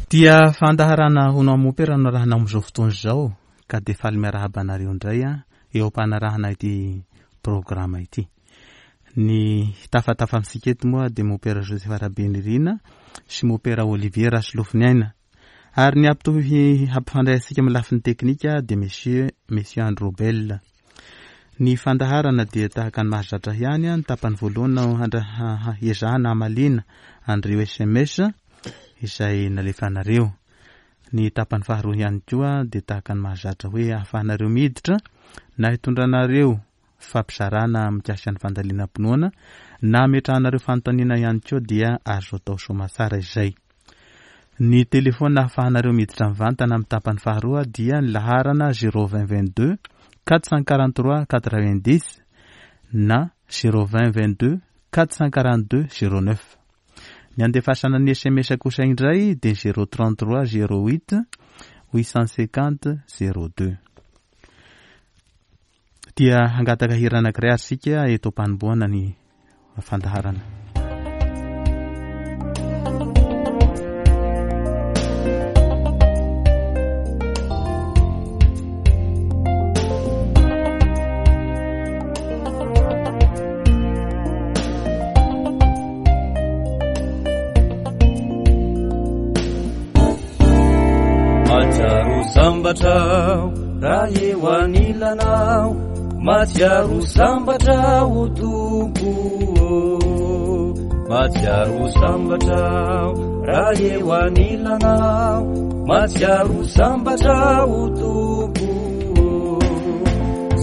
Dia fandaharana hono amin'ny mompera no arahana amin'izao fotoana izao ka dia faly miarahaba anareo indray eo am-panarahana ity programa ity. Ny hitafatafa amintsika eto moa dia mompera Joseph Rabenirina sy mompera Olivier Rasolofoniaina. Ary ny hampitohy hampifandray antsika amin'ny lafiny teknika dia monsieur Monsieur Androbel. Ny fandaharana dia tahaka ny mahazatra ihany, ny tapany voalohany no ezahana hamaliana an'ireo sms izay nalefanareo. Ny tapany faharoa ihany koa dia tahaka ny mahazatra hoe ahafahanareo miditra na hitondranareo fampizarana mikasika ny fandalinam-pinoana na ametrahanareo fanontaniana ihany koa dia azo atao soamatsara izay. Ny telefaonina ahafahanareo miditra mivantana amin'ny tapany faharoa dia ny laharana 020 22 443 90 na 020 22 442 09. Ny andefasana ny sms kosa indray dia 033 08 850 02. Dia hangataka hira anankiray ary isika eto am-panombohana ny fandaharana. Mahatsiaro sambatra aho raha eo anilanao, mahatsiaro sambatra aho Tompo ô. Mahatsiaro sambatra aho raha eo anilanao, mahatsiaro sambatra aho Tompo ô.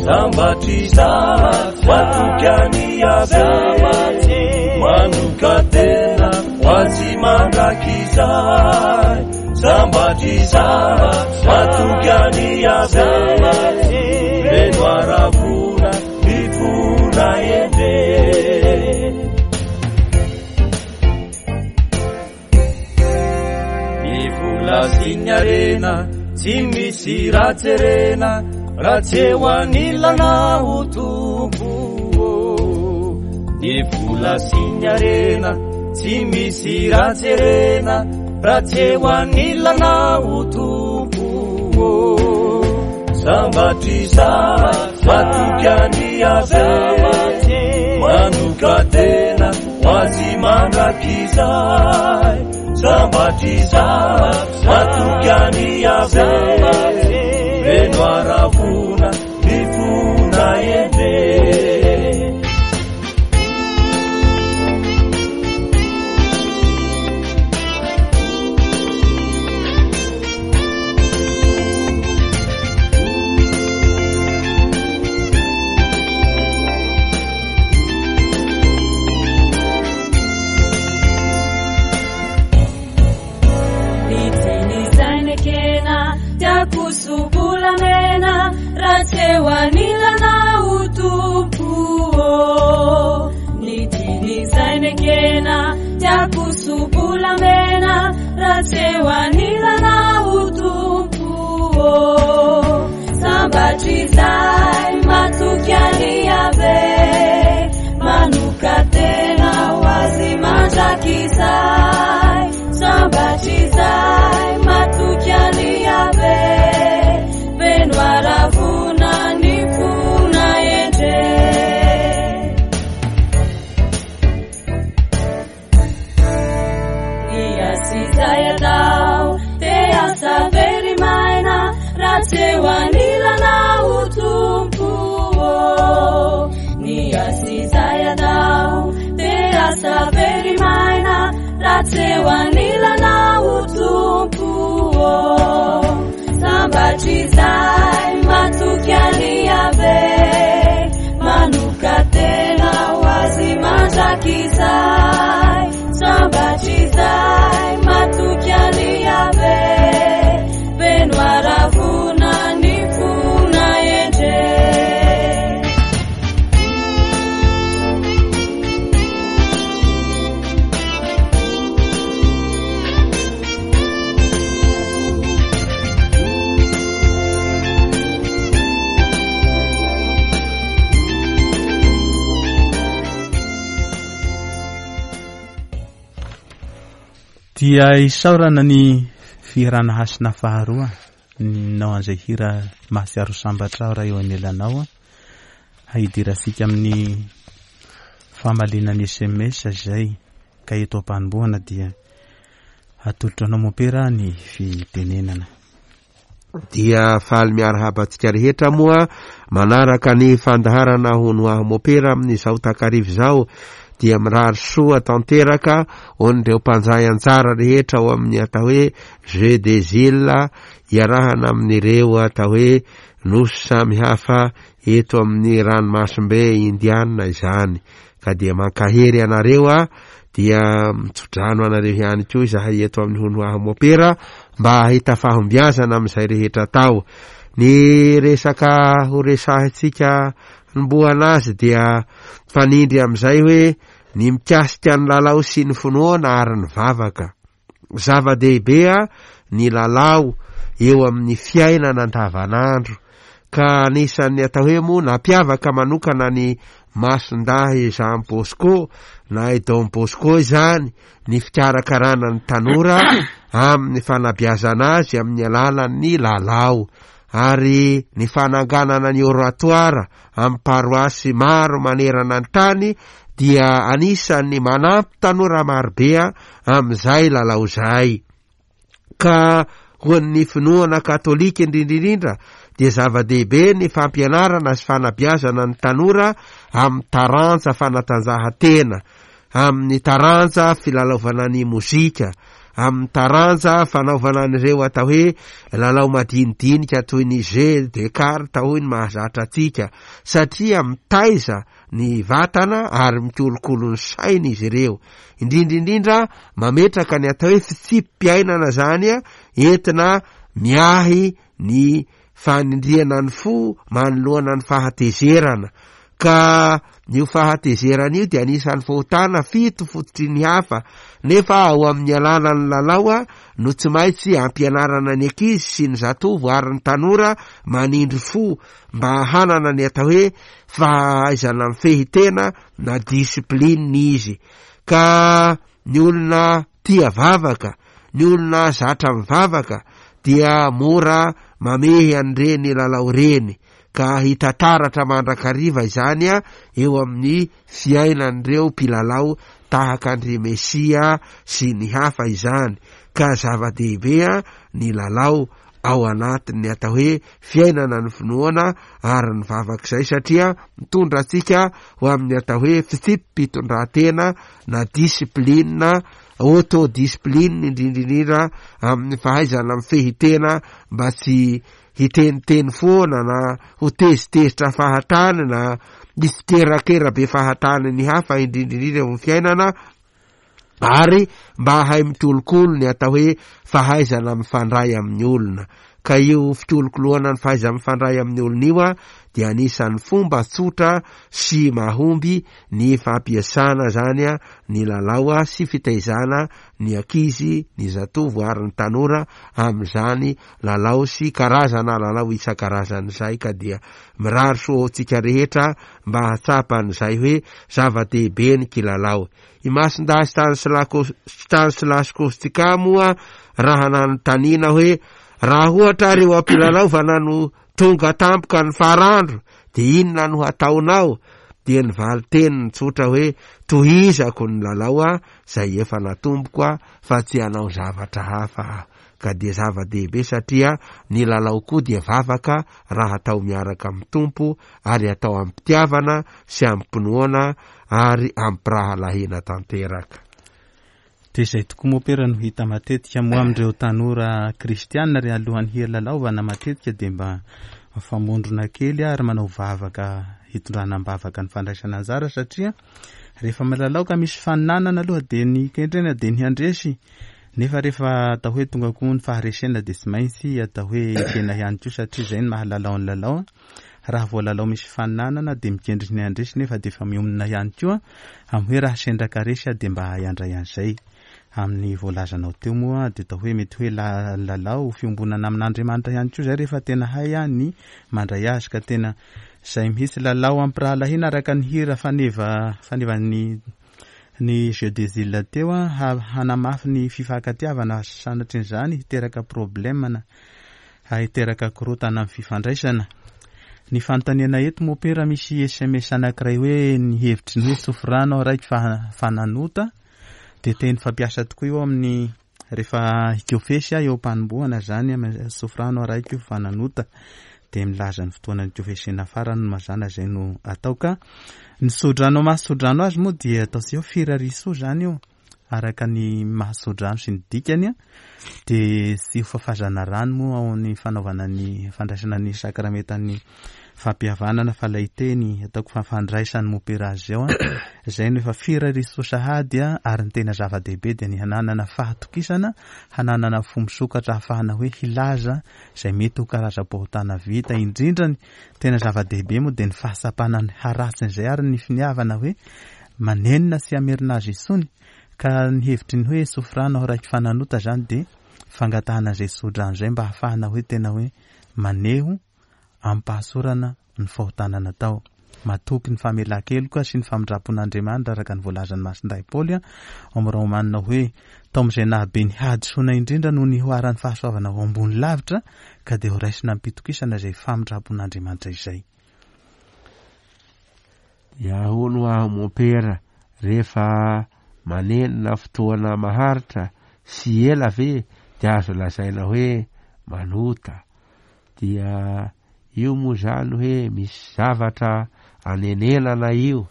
Sambatra izaho matoky an'i Yaveh, manoka-tena ho azy mandrakizay. Sambatra izaho matoky an'i Yaveh, feno haravoana ny fona endre. Ny vola sy ny harena tsy misy raha jerena raha tsy eo anilanao Tompo ô. Ny vola sy ny harena tsy misy raha jerena raha tsy eo anilanao Tompo ô. Sambatra izaho matoky an'i Yaveh, manoka-tena ho azy mandrakizay. Sambatra izaho matoky an'i Yaveh, feno haravoana ny fona endre. Dia isaorana ny Fihirana hasina faharoa, nao an'izay hira mahatsiaro sambatra aho raha eo anelanao. Hidirantsika amin'ny famaliana ny sms izay ka eto am-panombohana dia atolotra anao mompera ny fitenenana. Dia faly miarahaba antsika rehetra moa manaraka ny fandaharana hono aho mopera amin'izao takariva izao dia mirary soa tanteraka ho an'ireo mpanjay anjara rehetra ao amin'ny atao hoe Jeux des Îles iarahana amin'ireo atao hoe nosy samihafa eto amin'ny ranomasimbe Indiana izany ka dia mankahery anareo aho dia mitsodrano anareo ihany koa izahay eto amin'ny hono aho mopera mba hahita fahombiazana amin'izay rehetra atao. Ny resaka ho resahintsika hanombohana azy dia mifanindry amin'izay hoe ny mikasika ny lalao sy ny finoana ary ny vavaka. Zava-dehibe ny lalao eo amin'ny fiainana andavanandro ka anisan'ny atao hoe moa nampiavaka manokana ny Masindahy Jean Bosco na i Don Bosco izany ny fikarakarana ny tanora amin'ny fanabeazana azy amin'ny alalan'ny lalao ary ny fananganana ny oratoire amin'ny paroasy maro manerana ny tany dia anisan'ny manampy tanora marobe amin'izay lalao izay. Ka ho an'ny finoana katolika indrindra indrindra dia zava-dehibe ny fampianarana sy fanabeazana ny tanora amin'ny taranja fanatanjahantena, amin'ny taranja filalaovana ny mozika, amin'ny taranja fanaovana an'ireo atao hoe lalao madinidinika toy ny jeu de carte hoy ny mahazatra antsika, satria mitaiza ny vatana ary mikolokolo ny saina izy ireo. Indrindra indrindra mametraka ny atao hoe fitsipi-piainana izany entina miahy ny fanindriana ny fo manoloana ny fahatezerana. Ka io fahatezerana io dia anisan'ny fahotana fito fototry ny hafa, nefa ao amin'ny alalan'ny lalao no tsy maintsy ampianarana ny ankizy sy ny zatovo ary ny tanora manindry fo mba hanana ny atao hoe fahaizana mifehy tena na discipline izy. Ka ny olona tia vavaka, ny olona zatra mivavaka dia mora mamehy an'ireny lalao ireny ka hita taratra mandrakariva izany eo amin'ny fiainan'ireo mpilalao tahaka an-dry Messi sy ny hafa izany ka zava-dehibe ny lalao ao anatin'ny atao hoe fiainana ny finoana ary ny vavaka izay satria mitondra antsika ho amin'ny atao hoe fitsipi-pitondrantena na discipline, auto-discipline indrindra indrindra amin'ny fahaizana mifehy tena mba tsy hiteniteny foana na ho tezitezitra fahatany na hitsikerakera be fahatany ny hafa indrindra indrindra eo amin'ny fiainana ary mba hahay mikolokolo ny atao hoe fahaizana mifandray amin'ny olona. Ka io fikolokoloana ny fahaiza-mifandray amin'ny olona io dia anisan'ny fomba tsotra sy mahomby ny fampiasana izany ny lalao sy fitaizana ny ankizy, ny zatovo ary ny tanora amin'izany lalao sy karazana lalao isan-karazany izay ka dia mirary soa ho antsika rehetra mba hahatsapa an'izay hoe zava-dehibe ny kilalao. I Masindahy Stanislas Kostka moa raha nanontaniana hoe raha ohatra ary eo am-pilalaovana no tonga tampoka ny farandro dia inona no hataonao? Dia ny valin-teniny tsotra hoe tohizako ny lalao izay efa natomboko fa tsy hanao zavatra hafa aho. Ka dia zava-dehibe satria ny lalao koa dia vavaka raha atao miaraka amin'ny Tompo ary atao amim-pitiavana sy amim-pinoana ary amim-pirahalahiana tanteraka. Dia izay tokoa mopera no hita matetika moa amin'ireo tanora kristiana ry alohan'ny hilalaovana matetika dia mba mifamondrona kely ary manao vavaka hitondrana am-bavaka ny fandraisana anjara satria rehefa milalao ka misy faninanana aloha dia ny kendrena dia ny handresy nefa rehefa atao hoe tonga koa ny faharesena dia tsy maintsy atao hoe ekena ihany koa satria izay no mahalalao ny lalao. Raha vao lalao misy fifaninanana dia mikendry ny handresy nefa dia efa mionona ihany koa amin'ny hoe raha sendra ka resy aho dia mba hahay handray an'izay. Amin'ny voalazanao teo moa dia atao hoe mety hoe lalao fiombonana amin'Andriamanitra ihany koa izay rehefa tena hay ny mandray azy ka tena izay mihitsy lalao ampirahalahiana araka ny hira faneva fanevan'ny. Ny jeux des îles teo hanamafy ny fifankatiavana sanatrian'izany hiteraka problème na hiteraka korontana amin'ny fifandraisana. Ny fanontaniana eto mopera misy sms anankiray hoe ny hevitry ny hoe sofrano raiky fa nanota dia teny fampiasa tokoa io amin'ny rehefa hikofesy eo am-panombohana zany sofrano araiky fa nanota dia milaza ny fotoana nikofesena farany mazàna izay no atao ka ny sodrano maha sodrano azy moa dia ataontsika hoe firarisoa zany io araka ny maha sodrano sy ny dikany dia tsy ho fafazana rano moa ao ny fanaovana ny fandraisana ny sakramentan'ny fampihavanana fa ilay teny ataoko fa fandraisan'ny mopera azy ao izay no efa firarisoa sahady ary ny tena zava-dehibe dia ny hananana fahatokisana hananana fo misokatra ahafahana hoe hilaza izay mety ho karazam-pahotana vita indrindra ny tena zava-dehibe moa dia ny fahatsapana ny haratsin'izay ary ny finiavana hoe manenina sy hamerina azy intsony ka ny hevitry ny hoe sofrano aho raiky fananota zany dia fangatahana izay tsodrano izay mba ahafahana hoe tena hoe maneho amim-pahasorana ny fahotana natao. Matoky ny famelan-keloka sy ny famindram-pon'Andriamanitra araka ny voalazan'i Masindahy Paoly ao amin'ny Romanina hoe tao amin'izay nahabe ny hadisoana indrindra no nihoaran'ny fahasoavana ho ambony lavitra ka dia horaisina amim-pitokisana izay famindram-pon'Andriamanitra izay. Dia hono aho mompera rehefa manenina fotoana maharitra sy ela ve dia azo lazaina hoe manota? Dia io moa izany hoe misy zavatra anenenana io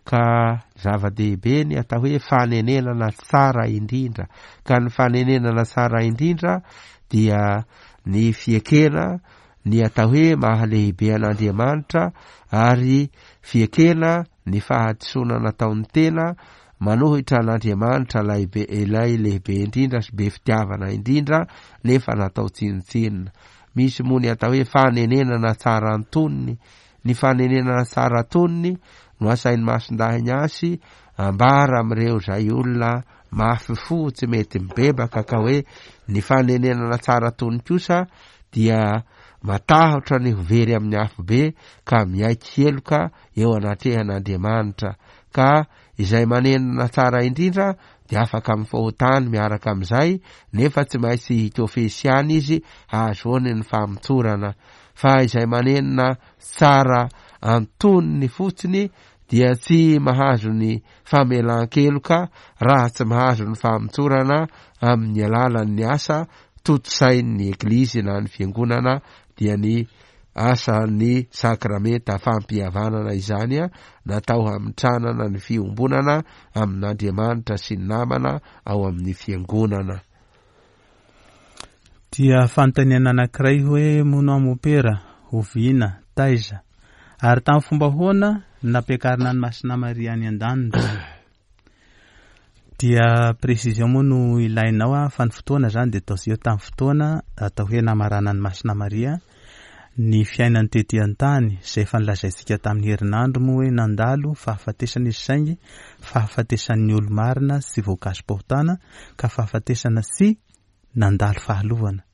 ka zava-dehibe ny atao hoe fanenenana tsara indrindra ka ny fanenenana tsara indrindra dia ny fiekena ny atao hoe mahalehibe an'Andriamanitra ary fiekena ny fahadisoana nataon'ny tena manohitra an'Andriamanitra ilay be ilay lehibe indrindra sy be fitiavana indrindra nefa natao tsinontsinona. Misy moa ny atao hoe fanenenana tsara antonony. Ny fanenenana tsara antonony no asain'i Masindahy Ignace ambara amin'ireo izay olona mafy fo tsy mety mibebaka ka hoe ny fanenenana tsara antonony kosa dia matahotra ny ho very amin'ny afobe ka miaiky heloka eo anatrehan'Andriamanitra ka izay manenana tsara indrindra dia afaka amin'ny fahotany miaraka amin'izay nefa tsy maintsy hikofesy ihany izy hahazoany ny famotsorana fa izay manenina tsara antonony fotsiny dia tsy mahazo ny famelan-keloka raha tsy mahazo ny famotsorana amin'ny alalan'ny asa tontosain'ny Eglizy na ny Fiangonana dia ny asan'ny sakramenta fampihavanana izany natao hamitranana ny fiombonana amin'Andriamanitra sy ny namana ao amin'ny Fiangonana. Dia fanontaniana anankiray hoe mono aho mopera, oviana, taiza, ary tamin'ny fomba ahoana no nampiakarina an'i Masina Maria any an-danitra? Dia précision moa no ilainao a, fa ny fotoana zany dia ataontsika hoe tamin'ny fotoana atao hoe namaranan'i Masina Maria ny fiainany tety an-tany, izay efa nolazaintsika tamin'ny herinandro moa hoe nandalo fahafatesana izy saingy fahafatesan'ny olo-marina sy voakasi-pahotana ka fahafatesana sy nandalo fahalovana.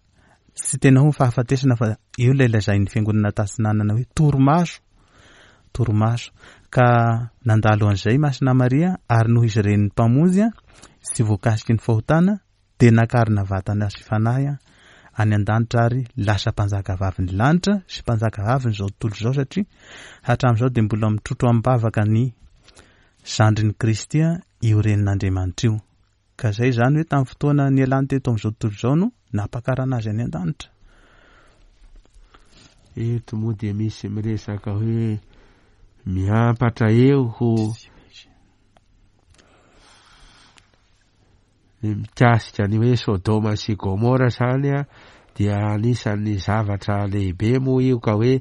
Tsy tena hoe fahafatesana fa io ilay lazain'ny fiangonana tatsinanana hoe torimaso, torimaso. Ka nandalo an'izay Masina Maria ary noho izy renin'ny Mpamonjy sy voakasiky ny fahotana dia nakarina vatana sy fanahy any an-danitra ary lasa mpanjakavavin'ny lanitra sy mpanjakavavin'izao tontolo izao satria hatramin'izao dia mbola mitrotro amim-bavaka ny zandrin'i Kristy io renin'Andriamanitra io. Ka izay izany hoe tamin'ny fotoana nialany teto amin'izao tontolo izao no nampakarana azy any an-danitra. Eto moa dia misy miresaka hoe miampatra eo ho Ny mikasika ny hoe Sodoma sy Gomora izany dia anisan'ny zavatra lehibe moa io ka hoe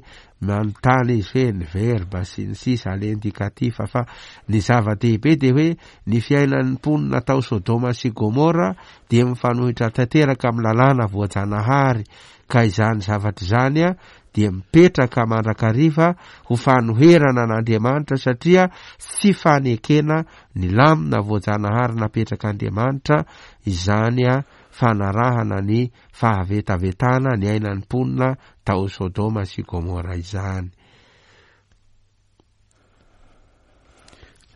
manontany izy hoe ny verbe sy ny sisa à l'indicatif fa ny zava-dehibe dia hoe ny fiainan'ny mponina tao Sodoma sy Gomora dia mifanohitra tanteraka amin'ny lalàna voajanahary ka izany zavatra izany dia mipetraka mandrakariva ho fanoherana an'Andriamanitra satria tsy fanekena ny lamina voajanahary napetrak'Andriamanitra izany fanarahana ny fahavetavetana niainan'ny mponina tao Sodoma sy Gomora izany.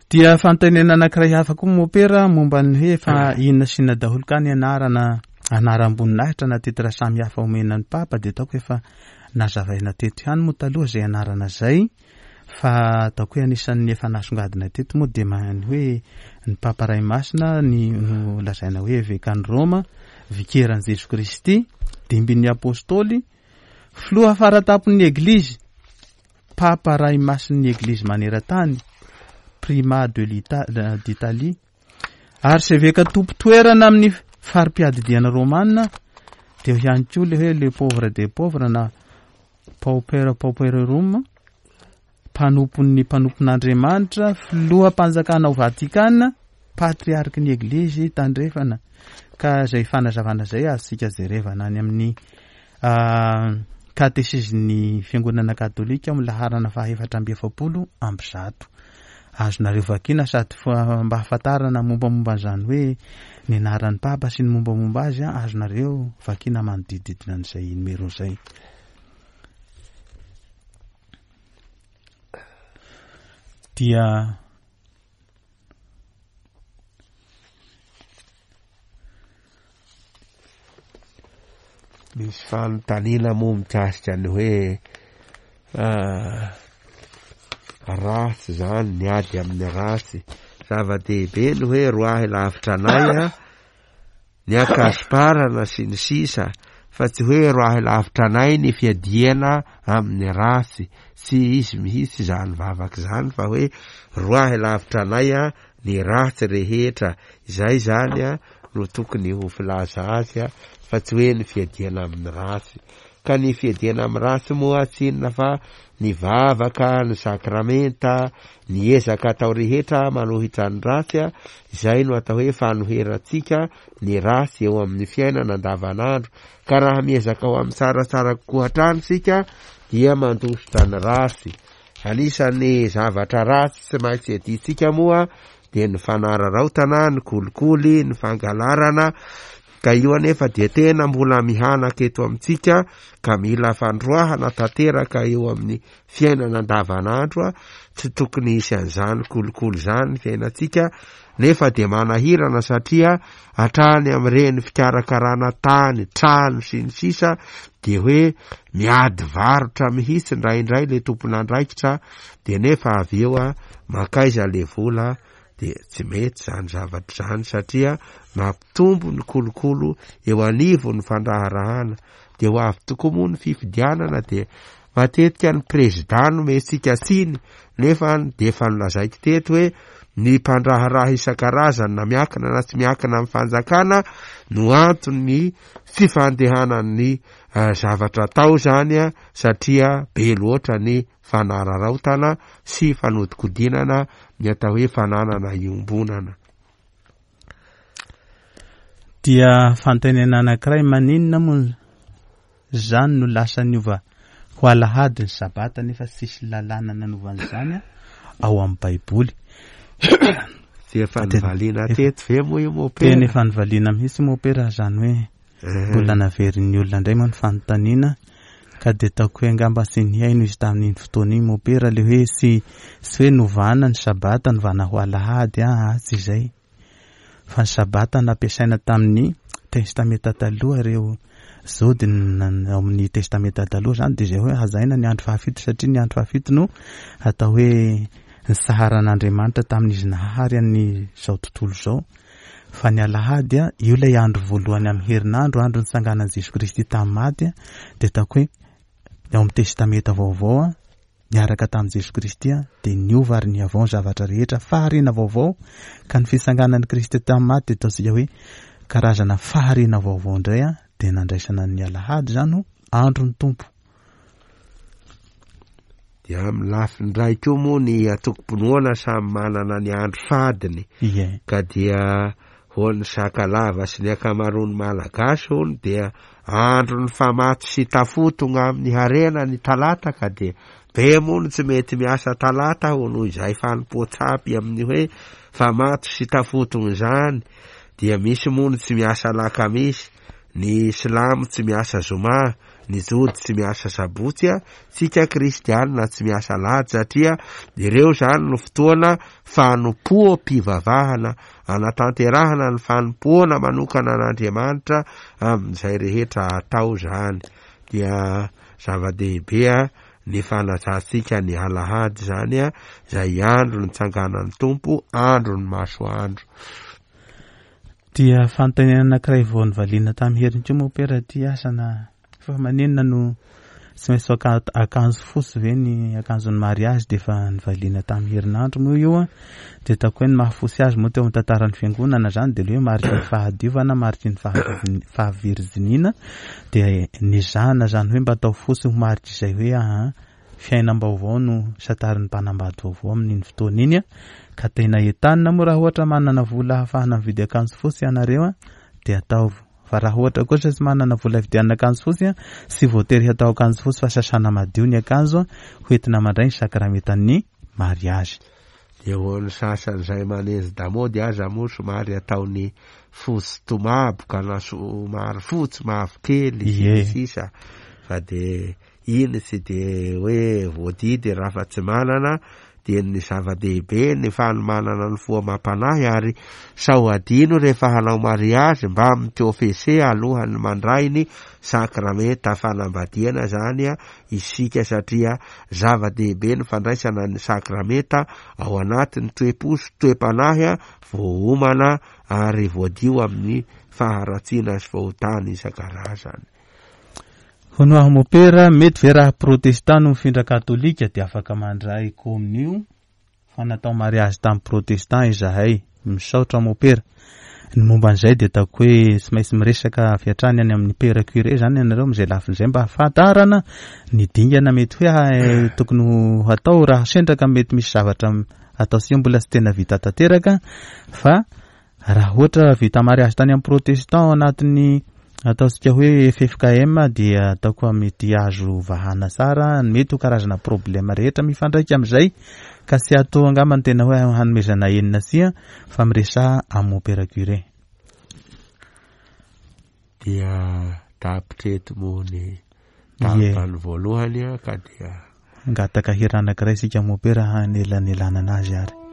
Dia fanontaniana anankiray hafa koa mopera momba ny hoe fa inona sy inona daholo ka ny anarana anaram-boninahitra na titre samy hafa omena ny Papa dia ataoko efa nazavaina teto ihany moa taloha izay anarana izay fa ataoko hoe anisan'ny efa nasongadina teto moa dia ny hoe ny Papa Ray Masina ny no lazaina hoe evekan'i Roma, vikeran'i Jesoa Kristy, dimbin'ny Apôstôly, Filoha faratampon'ny Eglizy, Papa Ray Masin'ny Eglizy maneran-tany, Primat de d'Italie, Arseveka tompon-toerana amin'ny fari-piadidiana romana, dia eo ihany koa ilay hoe le pauvre des pauvres na pauper pauperorum, mpanompon'ny mpanompon'Andriamanitra, filoham-panjakana ao Vatikana, patriarky ny Eglizy tandrefana. Ka izay fanazavana izay azontsika jerevana any amin'ny katesizin'ny Fiangonana Katolika amin'ny laharana faha 144. Azonareo vakiana sady mba hahafantarana mombamomba an'izany hoe ny anaran'ny Papa sy ny mombamomba azy, azonareo vakiana manodidididina an'izay numéro izay. Dia Misy fanontaniana moa mikasika ny hoe ratsy izany ny ady amin'ny ratsy. Zava-dehibe ny hoe roahy lavitra anay a, ny ankasiparana sy ny sisa fa tsy hoe roahy lavitra anay ny fiadiana amin'ny ratsy, tsy izy mihitsy izany vavaka izany fa hoe roahy lavitra anay a ny ratsy rehetra, izay izany a no tokony ho filaza azy a fa tsy hoe ny fiadiana amin'ny ratsy. Ka ny fiadiana amin'ny ratsy moa tsy inona fa ny vavaka, ny sakramenta, ny ezaka atao rehetra manohitra ny ratsy a, izay no atao hoe fanoherantsika ny ratsy eo amin'ny fiainana andavanandro. Ka raha miezaka ho amin'ny tsaratsara kokoa hatrany isika dia mandositra ny ratsy. Anisan'ny zavatra ratsy tsy maintsy iadiantsika moa dia ny fanararaotana, ny kolikoly, ny fangalarana, ka io anefa dia tena mbola mihanaka eto amintsika ka mila fandroahana tanteraka eo amin'ny fiainana andavanandro, tsy tokony hisy an'izany kolikoly izany ny fiainantsika, nefa dia manahirana satria hatrany amin'ireny fikarakarana tany, trano sy ny sisa dia hoe miady varotra mihitsy indraindray le tompon'andraikitra dia nefa avy eo a mankaiza le vola dia tsy mety izany zavatra izany satria mampitombo ny kolokolo eo anivon'ny fandraharahana dia ho avy tokoa moa ny fifidianana dia Matetika ny prezida no omentsika tsiny nefa dia efa nolazaiko teto hoe ny mpandraharaha isan-karazany na miankina na tsy miankina amin'ny fanjakana no anton'ny fifandehanan'ny eh, zavatra atao izany a satria be loatra ny fanararaotana sy fanodikodinana ny atao hoe fananana iombonana. Dia fanontaniana anankiray maninona moa Izany no lasa niova ho alahady ny sabata nefa tsisy lalàna nanova an'izany ao amin'ny baiboly. Tsy efa nivaliana teto ve moa io mopera? Tena efa nivaliana mihitsy mopera izany hoe mbola naverin'ny olona indray moa ny fanontaniana ka dia ataoko hoe angamba tsy nihaino izy tamin'iny fotoana iny mopera le hoe tsy tsy hoe novana ny sabata novana ho alahady aa tsy izay. Fa ny Sabata nampiasaina tamin'ny Testamenta Taloha ireo Jody ao amin'ny Testamenta Taloha izany dia izay hoe hajaina ny andro fahafito satria ny andro fahafito no atao hoe nisaharan'Andriamanitra tamin'izy nahary an'izao tontolo izao. Fa ny alahady, io ilay andro voalohany amin'ny herinandro, andro nitsanganan'i Jesoa Kristy tamin'ny maty, dia ataoko hoe ao amin'ny Testamenta Vaovao niaraka tamin'i Jesoa Kristy dia niova ary nihavao ny zavatra rehetra, fahariana vaovao, ka ny fitsanganan'i Kristy tamin'ny maty dia ataontsika hoe karazana fahariana vaovao indray dia nandraisana ny alahady izany ho andron'ny Tompo. Dia amin'ny lafiny iray koa moa ny antokom-pinoana samy manana ny andro fadiny, ka dia Ho an'ny Sakalava sy ny ankamaroan'ny Malagasy hono dia andron'ny famatsy sy tafotonga amin'ny harena ny talata ka dia be moa no tsy mety miasa talata hono izay fanompoan-tsampy amin'ny hoe famatsy sy tafotonga izany dia misy moa no tsy miasa alakamisy, ny silamo tsy miasa zoma. Ny Jody tsy miasa sabotsy, tsika kristianina tsy miasa alahady satria ireo izany no fotoana fanompoam-pivavahana anatanterahana ny fanompoana manokana an'Andriamanitra amin'izay rehetra atao izany. Dia zava-dehibe ny fanajantsika ny alahady izany, izay andro nitsanganan'ny Tompo, andron'ny masoandro. Dia fanontaniana anankiray vao novaliana tamin'ny heriny koa moa pera ity asa na fa maninona no tsy maintsy akanjo fotsy ve ny akanjon'ny mariazy dia efa novaliana tamin'ny herinandro moa io an, dia ataoko hoe ny maha fotsy azy moa teo amin'ny tantaran'ny fiangonana izany dia ilay hoe mariky ny fahadiovana, mariky ny fahavirijiniana dia nezahana izany hoe mba atao fotsy ho marik'izay hoe aa Fiainam-baovao no santarin'ny mpanambady vaovao amin'iny fotoana iny ka tena entanina moa raha ohatra manana vola ahafahana mividy akanjo fotsy ianareo dia ataovy fa raha ohatra kosa tsy manana vola hividianana akanjo fotsy tsy voatery hatao akanjo fotsy fa sasana madio ny akanjo hoentina mandray ny sakramentan'ny mariazy. Dia ho an'ny sasany izay manezy damaody aza moa somary ataony fotsy tomaboka na somary fotsy mavokely sy ny sisa fa dia Iny tsy dia hoe voadidy raha fa tsy manana dia ny zava-dehibe ny fanomanana ny fo amam-panahy ary sao adino rehefa hanao mariazy mba mi-confesser alohan'ny mandray ny sakramenta fanambadiana zany isika satria zava-dehibe ny fandraisana ny sakramenta ao anatin'ny toe-po sy toe-panahy voaomana ary voadio amin'ny faharatsiana sy fahotana isan-karazany. Hono aho mopera, mety ve raha protestant no mifindra katolika dia afaka mandray kominio fa natao mariazy tamin'ny protestant izahay. Misaotra mopera. Ny momba an'izay dia ataoko hoe tsy maintsy miresaka avy hatrany any amin'ny père curé izany ianareo amin'izay lafiny izay mba hahafantarana ny dingana mety hoe tokony ho hatao raha sendra ka mety misy zavatra ataontsika mbola tsy tena vita tanteraka fa Raha ohatra vita mariazy tany amin'ny protestant ao anatin'ny ataontsika hoe ffkm dia ataoko fa mety azo vahana tsara ny mety ho karazana problème rehetra mifandraika amin'izay ka tsy atao angamba ny tena hoe hanomezana enina tsia fa miresaha amin'ny mompera curé. Dia tapitra eto moa ny tapany voalohany ka dia. Hangataka hira anankiray isika mompera hanelanelanana azy ary.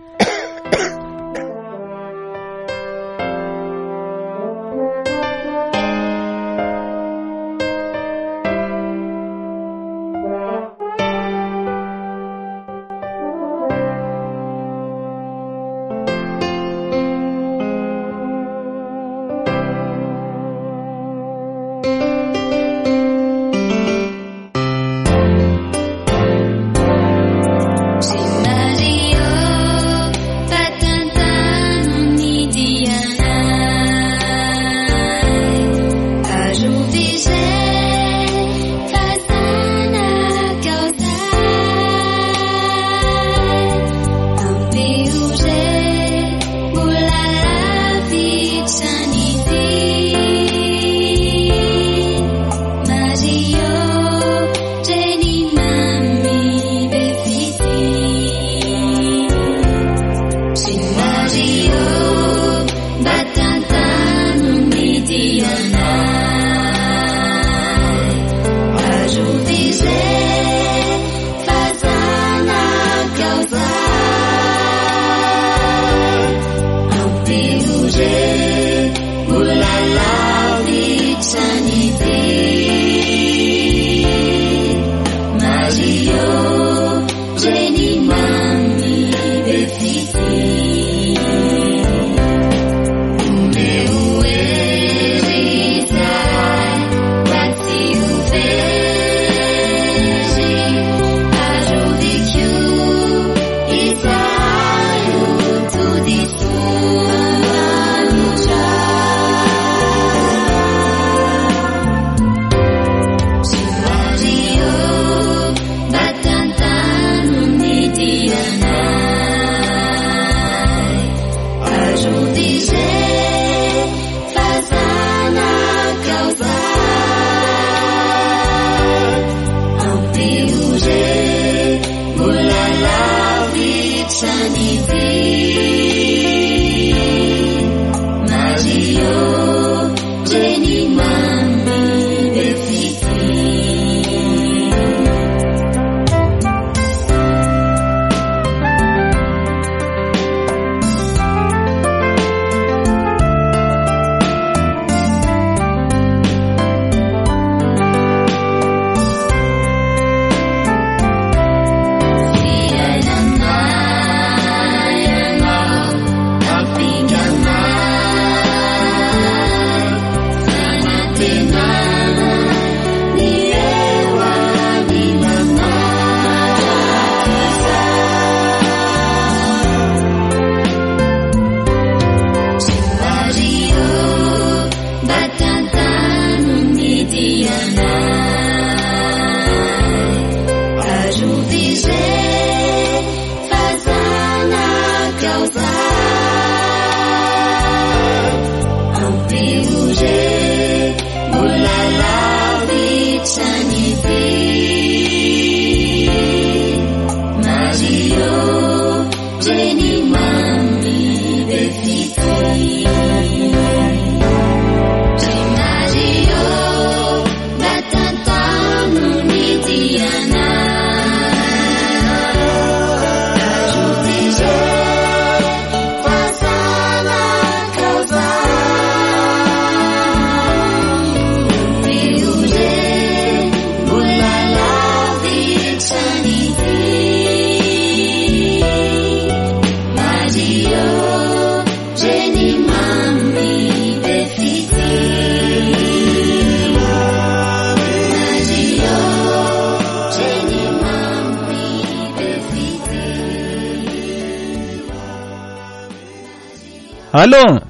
Allo!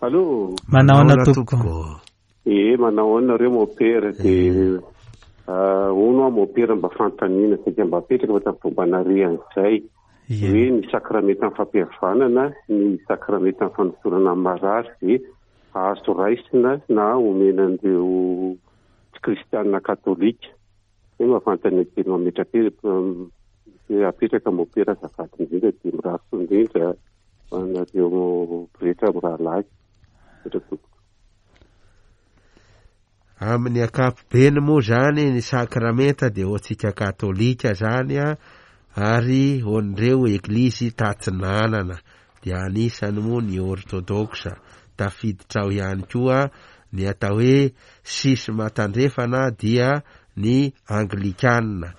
Allo! Manahoana tompoko? Ee, manahoana nareo mopera de hono aho mopera mba fanontaniana saika mba apetraka fa tamin'ny fomba nare an'izay hoe ny sakramentan'ny fampihavanana, ny sakramentan'ny fanosorana ny marary dia azo raisina na omena an'ireo tsy kristianina katolika. Zay mba fanontaniana kely mametrapetraka apetraka mopera azafady indrindra dia mirary soa indrindra ho anareo pretra mirahalahy. Misaotra tompoko. Amin'ny ankapobeny moa izany ny sakramenta dia ho antsika katolika izany ary ho an'ireo eglizy tatsinanana dia anisany moa ny ortodoksa, tafiditra ao ihany koa ny atao hoe sisma tandrefana dia ny anglikana.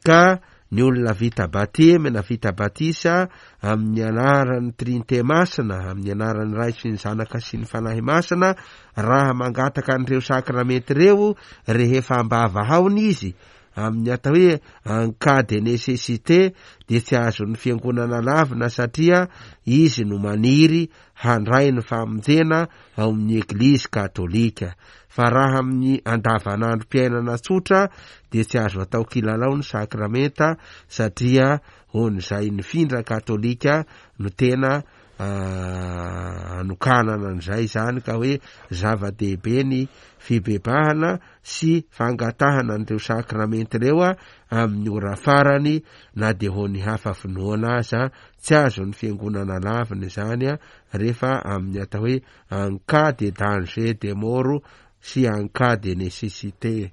Ka ny olona vita batemy na vita batisa amin'ny anaran'ny Trinite Masina, amin'ny anaran'ny Ray sy ny Zanaka sy ny Fanahy Masina, raha mangataka an'ireo sakramenta ireo rehefa ambava haona izy, amin'ny atao hoe en cas de nécessité dia tsy azon'ny fiangonana lavina satria izy no maniry handray ny famonjena ao amin'ny Eglizy katolika. Fa raha amin'ny andavanandrom-piainana tsotra dia tsy azo atao kilalao ny sakramenta satria hoan'izay nifindra katolika no tena anokanana an'izay izany ka hoe zava-dehibe ny fibebahana sy fangatahana an'ireo sakramenta ireo amin'ny ora farany na dia ho ny hafa finoana aza tsy azon'ny fiangonana lavina izany rehefa amin'ny atao hoe en cas de danger de mort sy en cas de nécessité.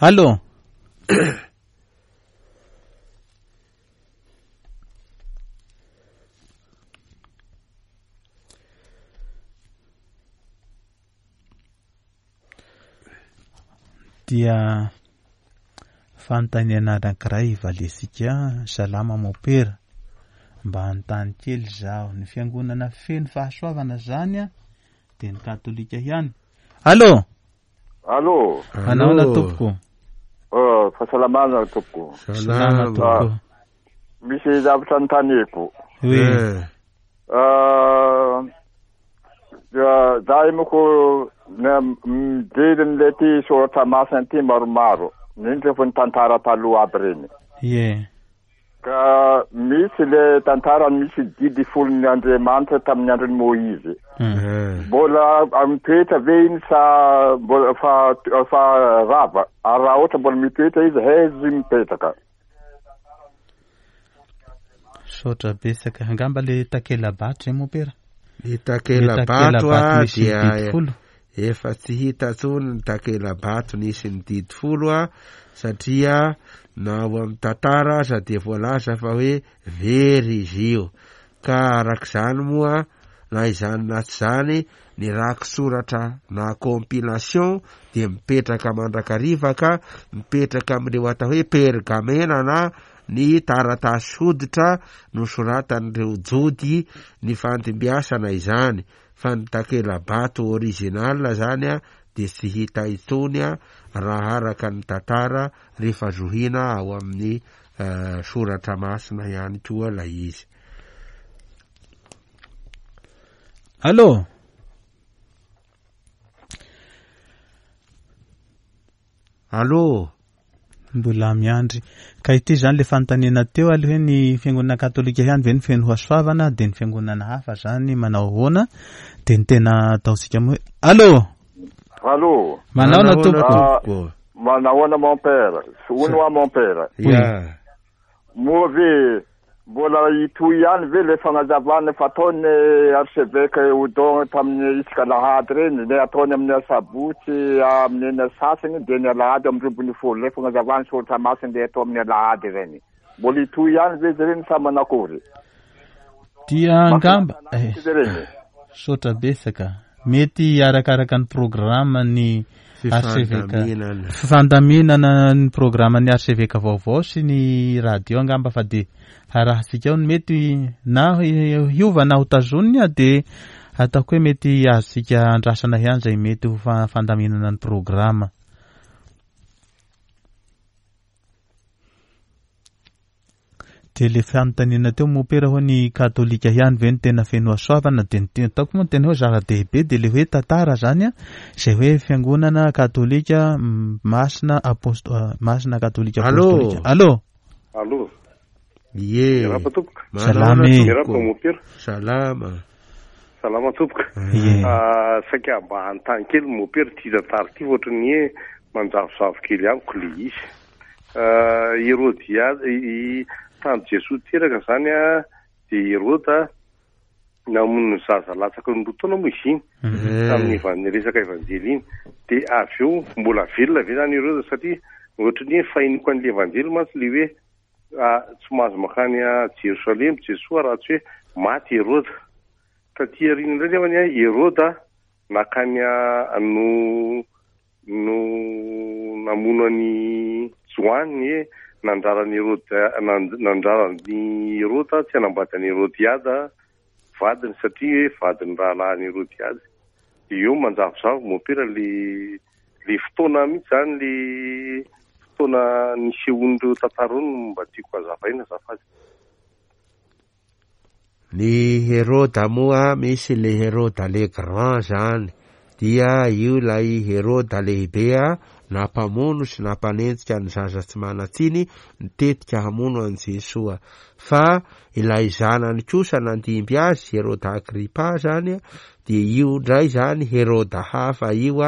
Allo. Dia fanontaniana anankiray valiantsika, Salama Mopera, mba hanontany kely izaho, ny fiangonana feno fahasoavana zany an, dia ny katolika ihany? Allo! Allo! Manahoana tompoko? Oh, fahasalamana tompoko. Salama tompoko. Misy zavatra anontaniako. Oui. Eh. Za moko mijery an'ilay ty soratra masina ty maromaro, indrindra fa ny tantara taloha aby reny. Ie. Ka misy le tantara misy didy folon'ny Andriamanitra tamin'ny andron'i Moizy. Mbola mitoetra ve iny sa mbola fa fa rava? Ary raha ohatra mbola mitoetra izy, haiza izy mipetraka? Misaotra betsaka. Angamba le takela-bato zay mompera? Ny takela-bato a dia efa tsy hita intsony ny takela-bato nisy ny didy folo a satria na ao amin'ny tantara aza dia voalaza fa hoe very izy io. Ka arak'izany moa na izany na tsy izany ny rakitsoratra na compilation dia mipetraka mandrakariva ka mipetraka amin'ireo atao hoe pergamena na ny taratasy hoditra nosoratan'ireo Jody nifandimbiasana izany fa ny takela-bato original zany dia tsy hita intsony raha araka ny tantara rehefa zohiana ao amin'ny soratra masina ihany koa ilay izy. Allo! Allo! Mbola miandry. Ka ity izany le fanontaniana teo aloha hoe ny fiangonana katolika ihany ve no feno hasoavana dia ny fiangonana hafa zany manao ahoana? Dia ny tena ataontsika moa hoe Allo! Allo! Manahoana tompoko? Manahoana mon père? Hono hoa mon père? Ya. Moa ve mbola hitohy ihany ve le fagnazavana fataon'ny archevêque Odon tamin'ny isaka alahady reny, le ataony amin'ny asabotsy amin'ny enina sasany dia ny alahady amin'ny 12, le fagnazavana soratra masina le atao amin'ny alahady reny. Mbola hitohy ihany ve izy ireny sa manakory? Dia angamba eh, Izy ireny. Misaotra betsaka. Mety arakaraka ny programme ny archevêque Fifandaminana. fifandaminana ny programme ny archevêque vaovao sy ny radio angamba fa dia harahantsika ao ny mety na hiova na ho tazoniny dia ataoko hoe mety azontsika andrasana ihany izay mety ho fandaminana ny programme. Dia le fanontaniana teo mopera hoe ny katolika ihany ve no tena feno hasoavana dia ny tena ataoko moa ny tena hoe zava-dehibe dia le hoe tantara zany a, izay hoe fiangonana katolika masina aposto masina katolika apostolika. Allô. Allô. Ie. Miarahaba tompoko. Salama e. Miarahaba mopera. Salama. Salama tompoko. Ie. Saika mba hanontany kely mopera ity tantara ity fa ohatran'ny hoe manjavozavo kely amiko le izy. Herodia, i tany Jesoa teraka zany a, dia Heroda namono ny zaza latsaky ny 2 taona moa izy iny, tamin'ny resaka evanjely iny. Dia avy eo mbola velona ve zany Heroda satria ohatran'ny hoe fahenoko an'ilay evanjely mantsy ilay hoe tsy mahazo mankany Jerosalema Jesoa raha tsy hoe maty Heroda. Taty aoriana indray nefany a, Heroda nankany no no namono an'i Joany hoe nandrara an'i Heroda, nandrara an'i Heroda tsy hanambady an'i Herodiada vadiny satria hoe vadin'ny rahalahin'i Herodiada. Dia eo manjavozavo mompera le le fotoana mihitsy zany le fotoana nisehoan'ireo tantara ireo no mba tiako hazavaina azafady. Ny Heroda moa misy le Heroda le grand zany dia io ilay Heroda lehibe nampamono sy nampanenjika ny zaza tsy manan-tsiny nitetika hamono an'i Jesoa fa ilay zanany kosa nandimby azy Heroda Agripa zany dia io indray zany Heroda hafa io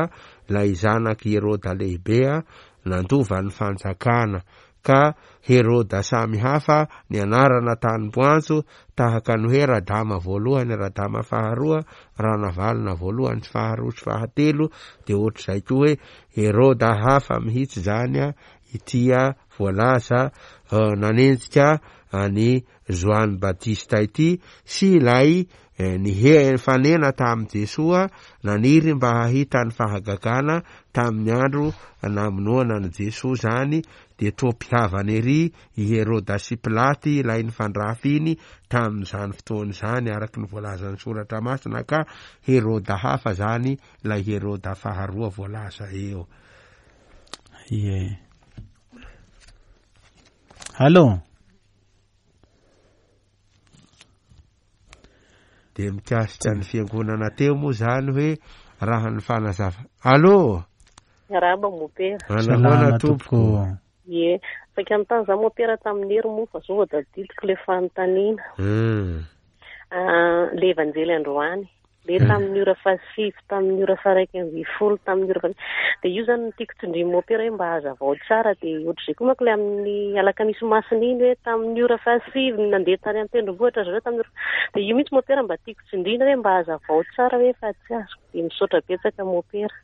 ilay zanak'i Heroda lehibe nandova ny fanjakana ka Heroda samy hafa ny anarana tanim-boanjo tahaka ny hoe Radama voalohany, Radama faharoa, Ranavalona voalohany sy faharoa sy fahatelo, dia ohatr'izay koa hoe Heroda hafa mihitsy izany ity voalaza nanenjika an'i Joany Batista ity sy ilay nifanena tamin'i Jesoa naniry mba hahita ny fahagagana tamin'ny andro namonoana an'i Jesoa izany dia toa mpihavana ery i Heroda sy Pilaty ilay nifandrafy iny tamin'izany fotoana izany araka ny voalazan'ny Soratra Masina ka Heroda hafa izany ilay Heroda faharoa voalaza eo. Ie. Allô? Dia mikasika ny fiangonana teo moa izany hoe raha ny fanazava. Allô? Miarahaba mopera. Manahoana tompoko? Ie, saika nanontany za mopera tamin'ny hery moa fa zao vao tadidiko le fanontaniana. Ah, le evanjely androany. Le tamin'ny ora fahasivy, tamin'ny ora faha-11, tamin'ny ora faha dia io zany no tiako tsindrian'i mopera hoe mba hazavao tsara dia ohatr'izay koa manko le amin'ny alakamisy masina iny hoe tamin'ny ora fahasivy no nandeha tany an-tendrombohitra zareo tamin'ny ora dia io mihitsy mopera mba tiako tsindriana hoe mba hazavao tsara hoe fa tsy azoko dia misaotra betsaka mopera.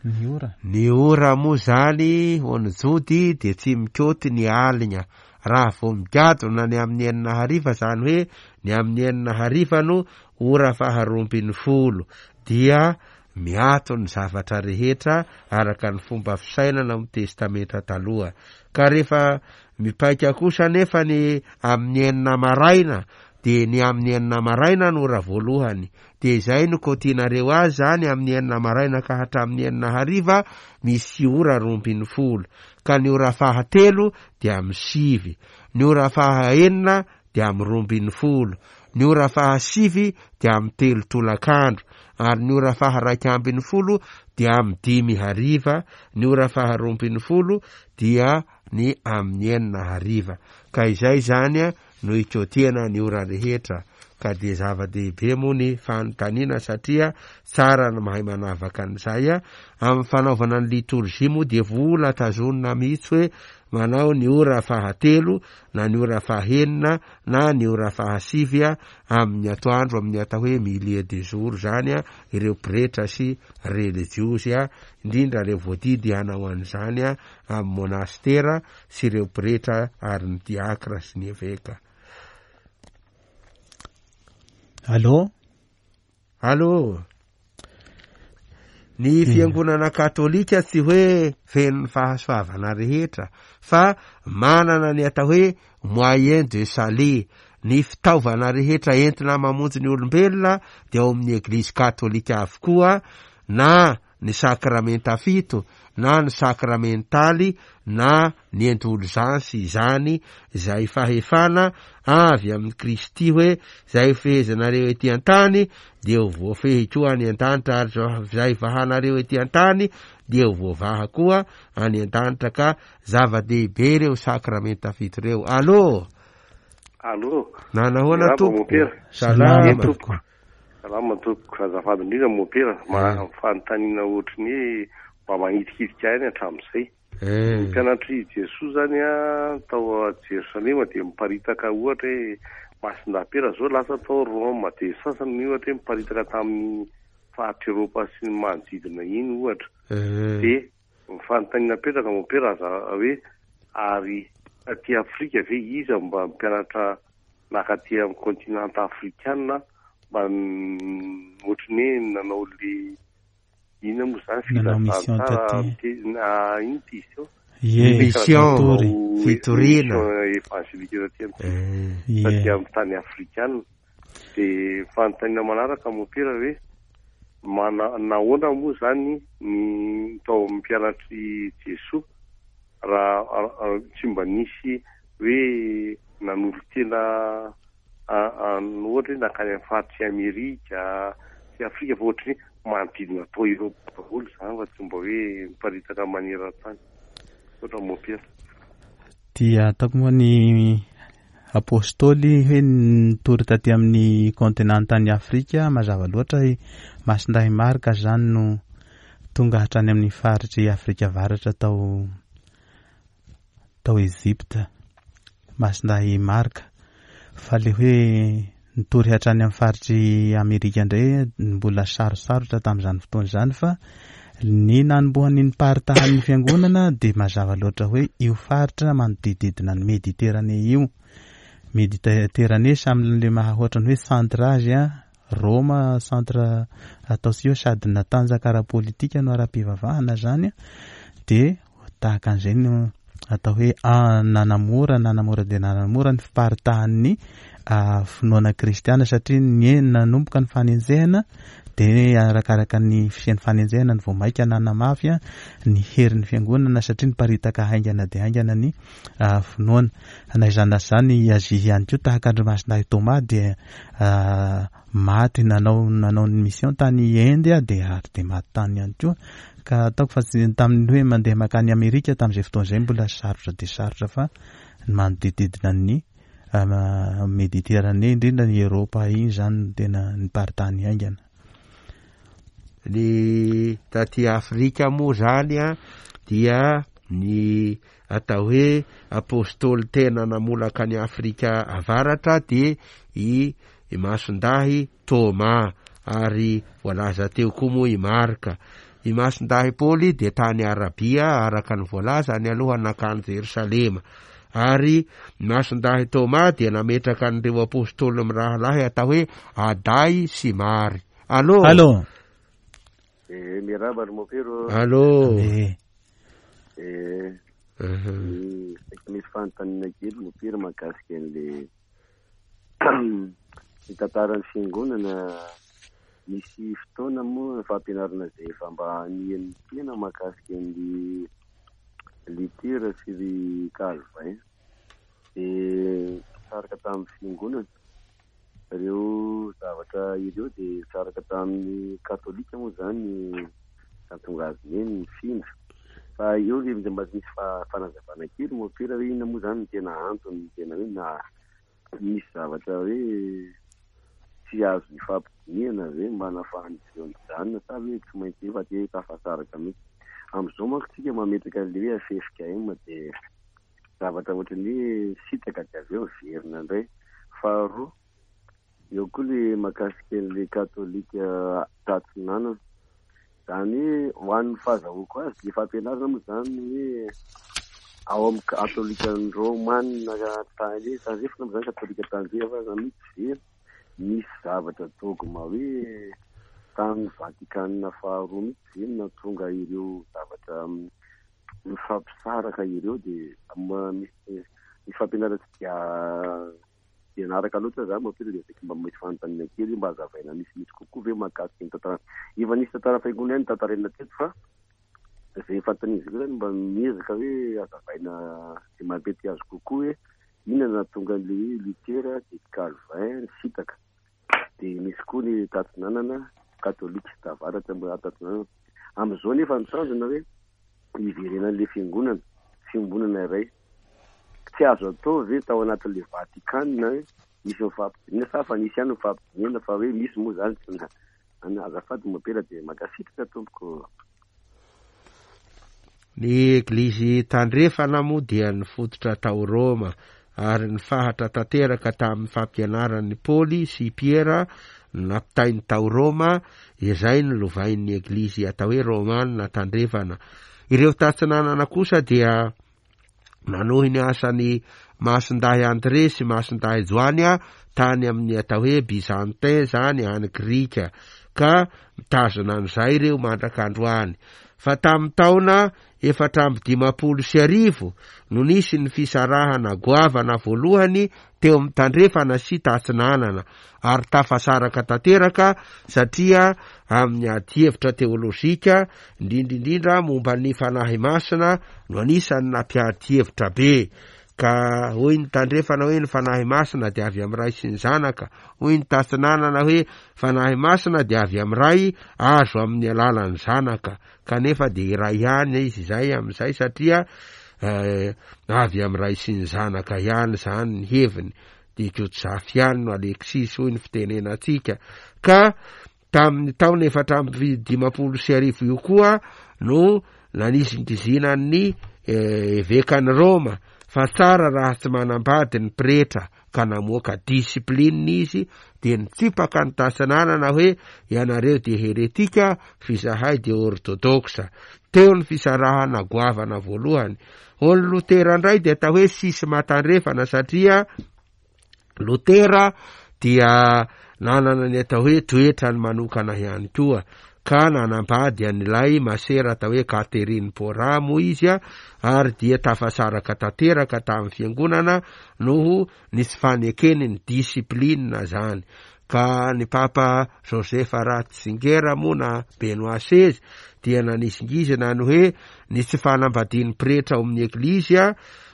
Ny ora. Ny ora moa zany ho an'ny Jody dia tsy mikaoty ny aligna. Raha vao migadona ny amin'ny enina hariva zany hoe ny amin'ny enina hariva no ora faha-12 dia miato ny zavatra rehetra araka ny fomba fisainana ao amin'ny Testamenta Taloha. Ka rehefa mipaika kosa anefa ny amin'ny enina maraina dia ny amin'ny enina maraina no ora voalohany Dia izay no kaotianareo azy izany amin'ny enina maraina ka hatramin'ny enina hariva, misy ora 12. Ka ny ora fahatelo dia amin'ny sivy. Ny ora fahaenina dia amin'ny 12. Ny ora fahasivy dia amin'ny telo tolakandro. Ary ny ora faha-11 dia amin'ny dimy hariva. Ny ora faha-12 dia ny amin'ny enina hariva. Ka izay izany no ikotiana ny ora rehetra ka dia zava-dehibe moa ny fanontaniana satria tsara ny mahay manavaka an'izay. Amin'ny fanaovana ny litorjia moa dia vola tazonina mihitsy hoe manao ny ora fahatelo na ny ora fahenina na ny ora fahasivy amin'ny atoandro amin'ny atao hoe milieu de jour izany ireo pretra sy relijiozy indrindra ireo voadidy hanao an'izany amin'ny monastera sy ireo pretra ary ny diakra sy ny eveka. Allô? Allô? Ny fiangonana katolika tsy hoe feno ny fahasoavana rehetra fa manana ny atao hoe moyen de salut. Ny fitaovana rehetra entina mamonjy ny olombelona dia ao amin'ny eglizy katolika avokoa na. ny sakramenta fito na ny sakramentaly na ny endolzansy izany izay fahefana avy amin'i Kristy hoe izay hofehezanareo ety an-tany dia ho voafehy koa any an-danitra ary izay vahanareo ety an-tany dia ho voavaha koa any an-danitra ka zava-dehibe ireo sakramenta fito ireo. Allo! Allo! Nanahoana tompoko? Salama tompoko. Salama tompoko, azafady indrindra mopera, manana fanontaniana ohatry ny hoe mba manitikitika ahy ihany hatramin'izay. Ny mpianatr'i Jesoa zany an, tao Jerosalema dia miparitaka ohatra hoe Masindahy Piera zao lasa tao Roma, dia sasany ohatra hoe miparitaka tamin'ny faritr'i Eropa sy ny manodidina iny ohatra. Dia ny fanontaniana apetraka mopera aza hoe ary taty Afrika ve iza mba mpianatra Nankaty amin'ny kontinanta afrikana mba ohatry ny hoe nanao le inona moa izany Nanao mission filazantsara taty. ino ty izy teo? Ie, Mission, nitory. fitoriana. Mission évangélique taty amin'ny Eh. taty Ie. amin'ny tany afrikana. Dia fanontaniana manaraka mopera hoe mana nahoana moa izany ny tao amin'ny mpianatr'i Jesoa raha tsy mba nisy hoe nanolo-tena ohatra hoe nankany amin'ny faritr'i Amerika sy Afrika fa ohatry ny manodidina tao Eropa daholo izany fa tsy mba hoe miparitaka maneran-tany. Misaotra Mompera. Dia ataoko moa ny Apostoly hoe nitory taty amin'ny kontinantan'i Afrika, mazava loatra i Masindahy Marka izany no tonga hatrany amin'ny faritr'i Afrika Avaratra tao tao Egypta, Masindahy Marka. Fa le hoe nitory hatrany amin'ny faritr'i Amerika indray mbola sarosarotra tamin'izany fotoana izany fa ny nanombohan'ny niparitahan'ny fiangonana dia mazava loatra hoe io faritra manodididina ny Méditerranée io. Méditerranée samy le maha ohatran'ny hoe centre azy an, Roma centre ataontsika hoe sady natanjaka ara-politika no ara-pivavahana zany dia tahaka an'izay no atao hoe nanamora nanamora dia nanamora ny fiparitahan'ny finoana kristiana satria ny nanomboka ny fanenjehana dia arakaraka ny fisian'ny fanenjehana ny vao maika nanamafy ny herin'ny fiangonana satria niparitaka haingana dia haingana ny finoana. Na izany na izany i Azia ihany koa tahaka an-dry Masindahy Thomas dia maty nanao nanao ny mission tany Inde dia ary dia maty tany ihany koa ka ataoko fa tsy tamin'ny hoe mandeha makany Amerika tamin'izay fotoana izay mbola sarotra dia sarotra fa ny manodididina ny Méditerranée indrindra ny Eropa iny izany no tena niparitahany haingana. Ny taty Afrika moa zany a dia ny atao hoe apostoly tena namolaka an'i Afrika Avaratra dia i Masindahy Toma ary voalaza teo koa moa i Marka. I Masindahy Paoly dia tany Arabia araka ny voalaza any aloha nankany Jerosalema. Ary Masindahy Toma dia nametraka an'ireo apostoly mirahalahy atao hoe Aday sy Mary. Allo! Allo! Eh, miarahaba ry Mopero. Allo! Eh. Eh, misy fanontaniana kely Mopero mahakasika an'le ny tantaran'ny fiangonana. Misy fotoana moa fampianarana izay efa mba hanihan'ny tena mahakasika an'i Luther sy ry Calvin. Dia nisaraka tamin'ny fiangonana. Ireo zavatra ireo dia nisaraka tamin'ny katolika moa izany nahatonga azy hoe nifindra. Fa eo ilay mba misy fanazavana kely mompera hoe inona moa izany no tena antony tena hoe na misy zavatra hoe tsy azo ifampidinihana ve mba nahafahan'izy ireo nijanona sa hoe tsy maintsy efa te tafasaraka mihitsy. Amin'izao manko tsika mametraka an'ilay hoe ffkm dia zavatra ohatran'ny hoe sitaka dia avy eo miverina indray. Faharoa, eo koa ilay mahakasika an'ilay katolika tatsinanana. Izany hoe ho an'ny fahazahoako azy ilay fampianarana moa izany hoe ao amin'ny katolika romana tany tandrefana moa izany katolika tandrefana mihitsy ve nisy zavatra dogma hoe tany Vatikana faharoa mihitsy ve no nahatonga ireo zavatra mifampisaraka ireo dia misy ny fampianarana tsy dia dia naraka loatra za mopera dia saika mba misy fanontaniana kely mba hazavaina misimisy kokoa ve mahakasika ny tantara. Efa nisy tantara fiangonana ihany notantaraina teto fa izay fanontaniana izay koa zany mba miezaka hoe hazavaina izay mampety azy kokoa hoe inona no nahatonga an'ilay hoe Luther dia Calvin nisintaka. Dia misy koa ny tatsinanana katolika tavaratra mbola tatsinanana. Amin'izao nefa ny tanjona hoe hiverenan'ilay fiangonana, fiombonana iray. Tsy azo atao ve tao anatin'ilay Vatikana hoe nisy nifampidinihana sa fa nisy ihany nifampidinihana fa hoe misy moa izany tsy na any azafady mompera dia mankasitraka tompoko. Ny Eglizy Tandrefana moa dia nifototra tao Roma ary nifahatra tanteraka tamin'ny fampianaran'i Paoly sy i Piera nampitainy tao Roma, izay nolovain'ny Eglizy atao hoe Romana Tandrefana. Ireo Tatsinanana kosa dia nanohy ny asan'i Masindahy André sy Masindahy Joany tany amin'ny atao hoe Byzantin izany any Grika, ka mitazona an'izay ireo mandraka androany. Fa tamin'ny taona 1054 no nisy ny fisarahana goavana voalohany teo amin'ny tandrefana sy tatsinanana, ary tafasaraka tanteraka satria amin'ny adihevitra teolojika, indrindra indrindra momba ny Fanahy Masina no anisan'ny nampiady hevitra be. Ka hoy ny tandrefana hoe ny Fanahy Masina dia avy amin'ny Ray sy ny Zanaka, hoy ny tatsinanana hoe Fanahy Masina dia avy amin'ny Ray azo amin'ny alalan'ny Zanaka. Kanefa dia iray ihany izy izay amin'izay satria avy amin'ny Ray sy ny Zanaka ihany izany ny heviny. Dia Jojafy ihany no Alexis hoy ny fitenenantsika. Ka tamin'ny taona 1054 io koa no nanizingizinan'ny evekan'i Roma fa tsara raha tsy manambady ny pretra ka namoaka discipline izy dia nitsipaka ny tasinanana hoe ianareo dia heretika f'izahay dia orthodoxe. Teo ny fisarahana goavana voalohany. Ho ny Lotera indray dia atao hoe sisma tandrefana satria Lotera dia nanana ny atao hoe toetrany manokana ihany koa ka nanambady an'ilay masera atao hoe Catherine Pora moa izy ary dia tafasaraka tanteraka tamin'ny fiangonana noho ny tsy fanekeny ny discipline zany ka ny Papa Joseph Ratzinger moa na Benoît seize dia nanizingizina ny hoe ny tsy fanambadian'ny pretra ao amin'ny Eglizy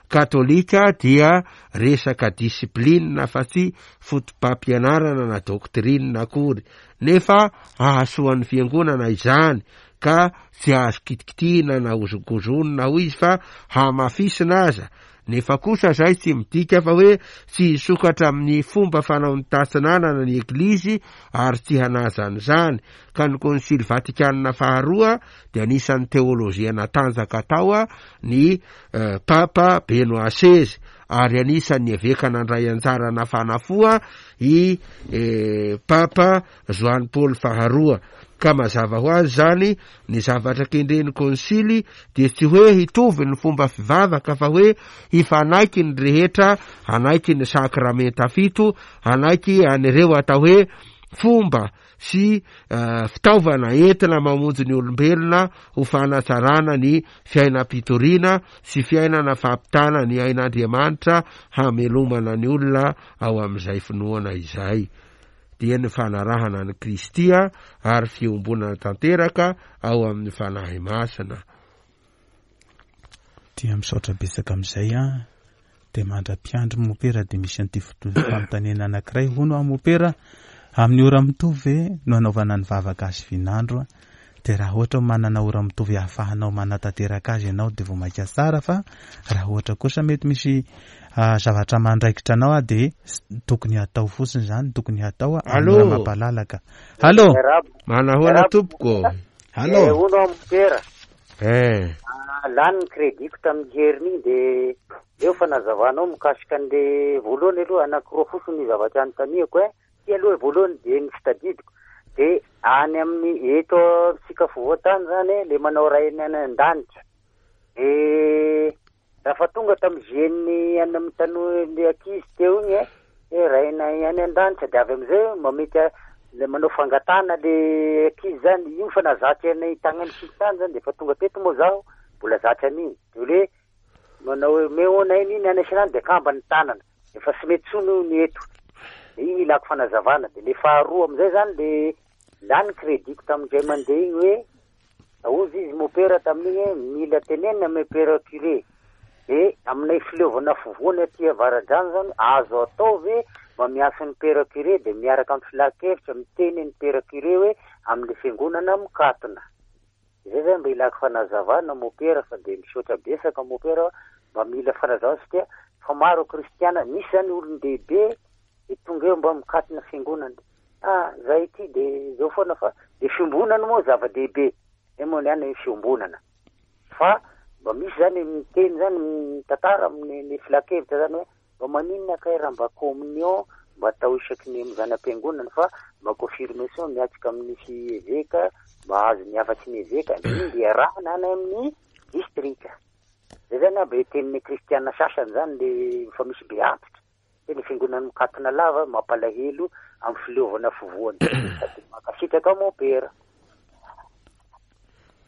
katolika dia resaka discipline fa tsy foto-pampianarana na doctrine akory nefa hahasoa ny fiangonana izany ka tsy azo kitikitihina na hozongozonina hoy izy fa hamafisina aza nefa kosa izay tsy midika fa hoe tsy hisokatra amin'ny fomba fanaon'ny tatsinanana ny eglizy ary tsy hanaja an'izany ka ny konsily vatikanina faharoa dia anisan'ny teolojia natanjaka tao ny Papa Benoît seize ary anisan'ny eveka nandray anjara nafana fo i Papa Joany Paoly faharoa. Ka mazava ho azy izany, ny zavatra kendren'ny konsily dia tsy hoe hitovy ny fomba fivavaka fa hoe hifanaiky ny rehetra hanaiky ny sakramenta fito, hanaiky an'ireo atao hoe fomba sy fitaovana entina mamonjy ny olombelona ho fanatsarana ny fiainam-pitoriana sy fiainana fampitana ny ain'Andriamanitra hamelomana ny olona ao amin'izay finoana izay dia ny fanarahana an'i Kristy ary fiombonana tanteraka ao amin'ny Fanahy Masina. Dia misaotra betsaka amin'izay an. Dia mandra-piandry mopera dia misy an'ity fanontaniana anankiray hono aho mopera amin'ny ora mitovy ve no anaovana ny vavaka azy vinandro dia raha ohatra manana ora mitovy ahafahanao manatanteraka azy ianao dia vao mainka tsara fa raha ohatra kosa mety misy ah, zavatra mandraikitra anao ah dia tokony hatao fotsiny izany tokony hatao amin'ny ora mampalalaka. Allo. Manahoana tompoko? Allo. Eh, hono aho mopera. Eh. Ah, lany ny crédit-ko tamin'ny heriny iny dia eo fanazavanao mikasika an'le voalohany aloha anankiroa fotsiny ny zavatra anontaniako eh. Ty aloha voalohany dia ny tsy tadidiko dia any amin'ny eto amintsika afovoan-tany zany eh, le manao rainy any an-danitra dia Raha fa tonga tamin'ny GN any amin'ny tanoa le ankizy teo igny e, hoe rainay any an-danitra de avy amizay mamety le manao fangatahana le ankizy zany, io fa nahazatry anay tagny amin'ny sisintany zany de efa tonga teto moa zaho mbola zatry an'igny, de hoe manao hoe omeo anay an'iny any sy any de akambany ny tanana. Efa tsy mety tsony io ny eto. De iny ilako fanazavana. De le faharoa amizay zany le lany crédit-ko tamin'indray mandeha iny hoe hozy izy mopera tamin'iny hoe mila tenenina amy père curé. De aminay fileovana afovoany aty avaradrano zany azo atao ve mba miantso ny père curé de miaraka amy filan-kevitra miteny ny père curé hoe amle fiangonana mikatona. Zay zany mba ilako fanazavana mopera fa de misaotra betsaka mopera mba mila fanazavana satria fa maro kristiana misy zany olon-dehibe de tonga eo mba mikatona fiangonana. Ah zay ity de zao foana fa de fiombonana moa zava-dehibe. Zay moa ny any fiombonana. Fa mba misy zany miteny zany mitantara amin'ny ny filan-kevitra zany hoe mba maninona kay raha mba communion mba atao isaky ny zana-piangonana fa mba confirmation miatrika amin'ny fi eveka mba azo ny hafatry ny eveka iny dia arahana any amin'ny distrika. Zay zany aby tenin'ny kristiana sasany zany le efa misy be antitra. Hoe ny fiangonana mikatona lava mampalahelo amin'ny fileovana afovoany. Sady mankasitraka mompera.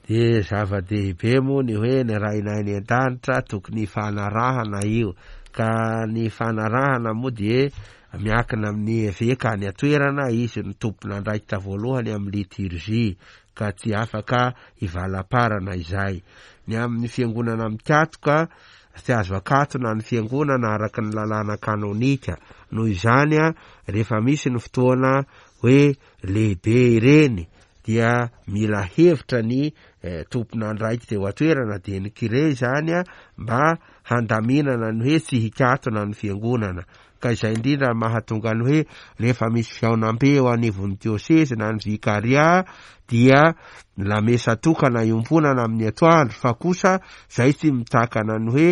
Dia zava-dehibe moa ny hoe ny Rainay any an-danitra tokony hifanarahana io. Ka ny fanarahana moa dia miankina amin'ny eveka any an-toerana, izy no tompon'andraikitra voalohany amin'ny liturgie, ka tsy afaka hivalaparana izay. Ny amin'ny fiangonana mikatoka, tsy azo akatona ny fiangonana araka ny lalàna kanonika. Noho izany, rehefa misy ny fotoana hoe lehibe ireny dia mila hevitra ny tompon'andraikitra eo an-toerana dia ny kire izany mba handaminana ny hoe tsy hikatona ny fiangonana. Ka izay indrindra no mahatonga ny hoe rehefa misy fihaonambe eo anivon'ny diosezy na ny vikaria dia lamesa tokana iombonana amin'ny atoandro fa kosa izay tsy mitakana ny hoe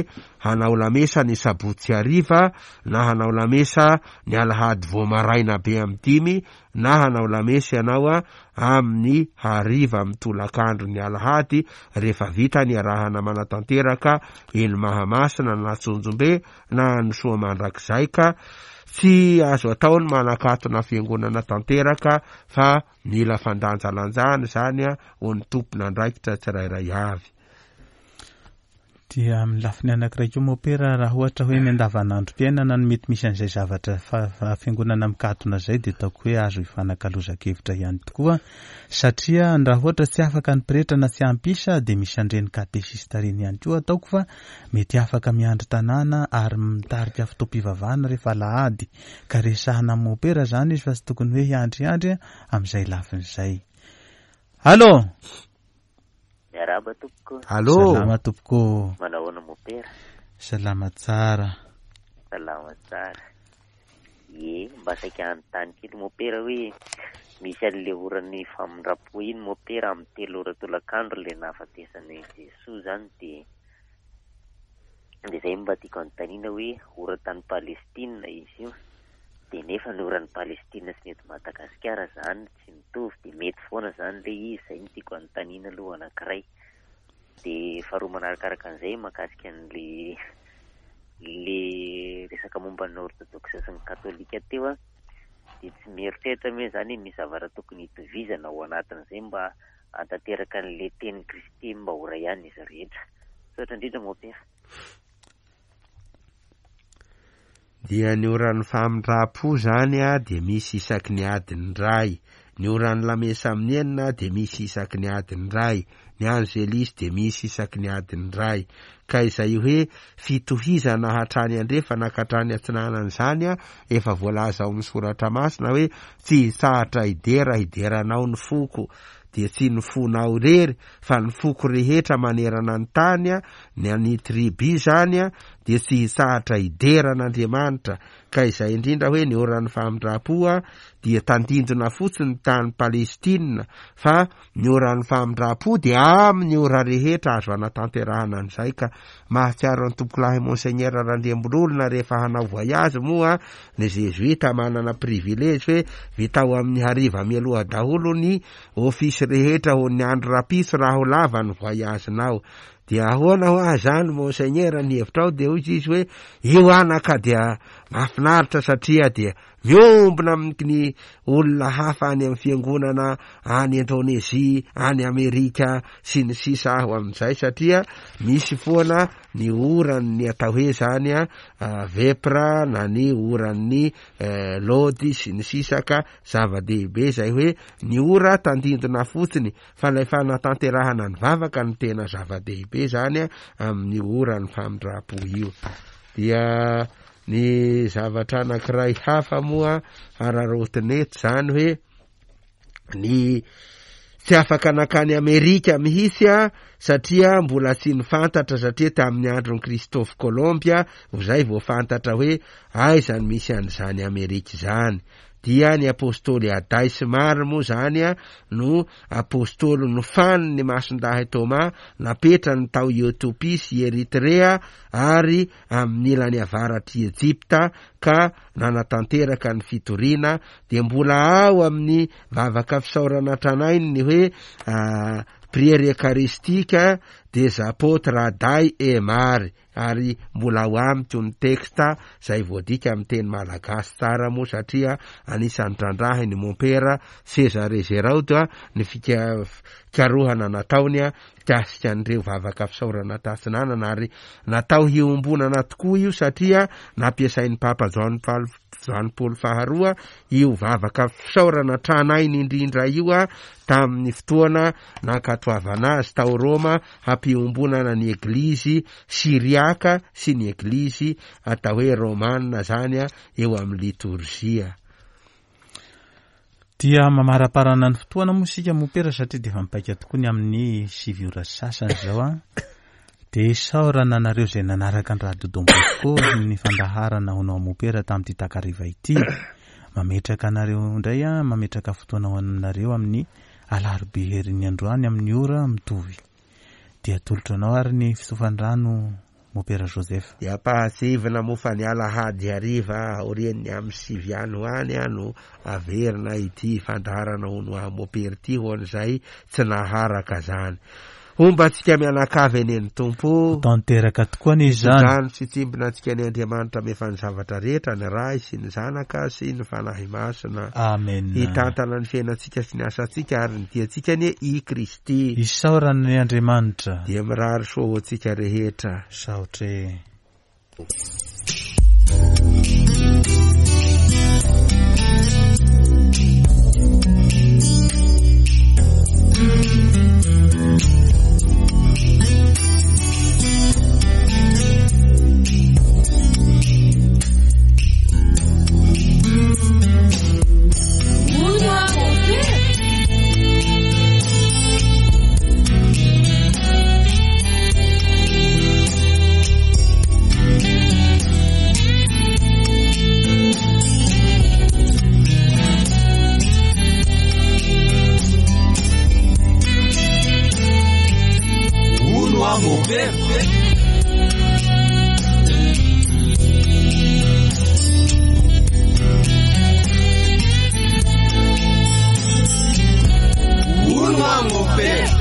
hanao lamesa ny sabotsy hariva na hanao lamesa ny alahady vao maraina be amin'ny 5 na hanao lamesa ianao amin'ny hariva amin'ny tolakandro ny alahady rehefa vita ny arahana manatanteraka eny Mahamasina na Tsonjombe na any Soamandrakizay ka tsy azo atao ny manakatona fiangonana tanteraka fa mila fandanjalanjana izany ho ny tompon'andraikitra tsirairay avy. Dia amin'ny lafiny anankiray koa mopera raha ohatra hoe ny andavanandrom-piainana no mety misy an'izay zavatra fiangonana mikatona izay dia ataoko hoe azo ifanakalozan-kevitra ihany tokoa satria raha ohatra tsy afaka ny pretra na tsy ampy isa dia misy an'ireny katesista ireny ihany koa ataoko fa mety afaka miandry tanàna ary mitarika fotoam-pivavahana rehefa alahady ka resahana amin'ny mopera izany izy fa tsy tokony hoe hiandriandry amin'izay lafiny izay. Allo! Miarahaba tompoko. Allo. Salama tompoko. Manahoana mopera? Salama tsara. Salama tsara. Ie, mba saika hanontany kely mopera hoe misy an'le oran'ny famindram-po iny mopera amin'ny 3 ora tolakandro le nahafatesan'i Jesoa zany de de zay mba tiako hanontaniana hoe ora tany Palestina izy io de nefa ny oran'ny Palestina sy ny eto Madagasikara zany tsy mitovy de mety foana zany le izy, zay no tiako hanontaniana aloha anankiray. De faharoa manarakaraka an'izay mahakasika an'le le resaka momba ny orthodoxe sy ny katolika teo a, de tsy mieritreritra moa zany misy zavatra tokony hitovizana ao anatin'izay mba hahatanteraka an'le tenin'i Kristy mba ho ray ihany izy rehetra. Misaotra indrindra mopera. Dia ny oran'ny famindram-po zany a dia misy isaky ny adiny iray, ny oran'ny lamesa amin'ny 6 dia misy isaky ny adiny iray, ny angelisy dia misy isaky ny adiny iray. Ka izay hoe fitohizana hatrany andrefana ka hatrany atsinanana izany a, efa voalaza ao amin'ny soratra masina hoe tsy hitsahatra hidera hideranao ny foko, dia tsy ny fonao irery fa ny foko rehetra manerana ny tany a, ny an'ny tribu izany a, dia tsy hitsahatra hidera an'Andriamanitra, ka izay indrindra hoe ny oran'ny famindram-po a, dia tandindona fotsiny tany Palestina, fa ny oran'ny famindram-po dia amin'ny ora rehetra azo anatanterahana an'izay, ka mahatsiaro an'i Tompokolahy Monseigneur Randriambololona rehefa hanao voyage moa ny Zezoita manana privilège hoe vitao amin'ny hariva mialoha daholo ny office rehetra ho ny andro rapiso raha ho lava ny voyage-nao. Dia ahoana hoa zany Monseigneur ny hevitrao? Dia hoy izy hoe io anaka dia mahafinaritra satria dia. miombona amin'ny olona hafa any amin'ny fiangonana any Indonezia, any Amerika sy ny sisa aho amin'izay satria misy foana ny oran'ny atao hoe zany a vepra na ny oran'ny lody sy ny sisa ka zava-dehibe izay hoe ny ora tandindona fotsiny fa ilay fanatanterahana ny vavaka no tena zava-dehibe zany amin'ny oran'ny famindram-po io. Dia ny zavatra anankiray hafa moa hararaotina eto zany hoe ny tsy afaka nankany Amerika mihitsy a satria mbola tsy nifantatra satria tamin'ny andron'i Christophe Colomb izay vao fantatra hoe aiza no misy an'izany Amerika izany. Dia ny apostoly Aday sy Mary moa izany no apostoly nofanin'ny Masindahy Thomas napetrany tao Etiopia sy Eritrea ary amin'ny ilany avaratr'i Ejipta ka nanatanteraka ny fitoriana dia mbola ao amin'ny vavaka fisaorana tranainy ny hoe prière eucharistique des apôtres Aday et Mary ary mbola ao amiko ny texte izay voadika amin'ny teny malagasy tsara moa satria anisan'ny trandrahin'i mompera Cesare Geraud ny fikarohana nataony mikasika an'ireo vavaka fisaorana tatsinanana ary natao hiombonana tokoa io satria nampiasain'ny Papa Joany Joany Paoly faharoa io vavaka fisaorana tranainy indrindra io tamin'ny fotoana nankatoavana azy tao Roma hampiombonana ny Eglizy Syriaka sy ny Eglizy atao hoe Romana zany eo amin'ny litorzia. Dia mamaraparana ny fotoana moa isika mopera satria dia efa mipaika tokoa ny amin'ny 9 ora sy sasany izao an. Dia isaorana anareo izay nanaraka ny Radio Don Bosco ny fandaharana Honao Mopera tamin'ity takariva ity. Mametraka anareo indray an, mametraka fotoana ho anareo amin'ny alarobia herin'ny androany amin'ny ora mitovy. Dia atolotro anao ary ny fitsofandrano Mopera Joseph. Dia ampahatsiahivina moa fa ny alahady hariva aorian'ny amin'ny 9 any ho any no averina ity fandaharana Hono Aho Mopera ity ho an'izay tsy naharaka izany. Homba antsika mianakavy anie ny Tompo. Ho tanteraka tokoa anie izany. Tso-drano sy tsimbina antsika anie Andriamanitra mefa ny zavatra rehetra, ny Ray sy ny Zanaka sy ny Fanahy Masina. Amen. Hitantana ny fiainantsika sy ny asantsika ary ny diantsika anie i Kristy. Isaorana anie Andriamanitra. Dia mirary soa ho antsika rehetra. Misaotra e. Hono aho mopera. Hono aho mopera.